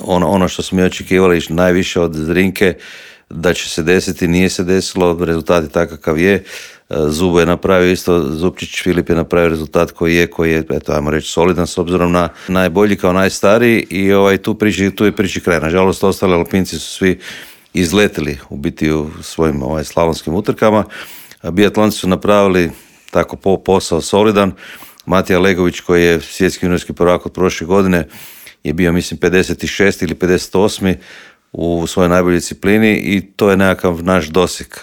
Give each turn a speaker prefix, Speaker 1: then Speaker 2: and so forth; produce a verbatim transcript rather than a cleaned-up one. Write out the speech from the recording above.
Speaker 1: ono, ono što smo mi očekivali najviše od Zrinke da će se desiti, nije se desilo, rezultat je takav kakav je. Zubo je napravio isto, Zupčić Filip je napravio rezultat koji je, koji je, eto, ajmo reći, solidan s obzirom na najbolji kao najstariji i ovaj, tu, priči, tu je priči kraj. Nažalost, ostali Alpinci su svi izletili u biti u svojim ovaj, slavonskim utrkama. Biatlonci su napravili tako po posao solidan. Matija Legović koji je svjetski juniorski prvak od prošle godine je bio mislim pedeset šesti ili pedeset osmi u svojoj najboljoj disciplini i to je nekakav naš doseg.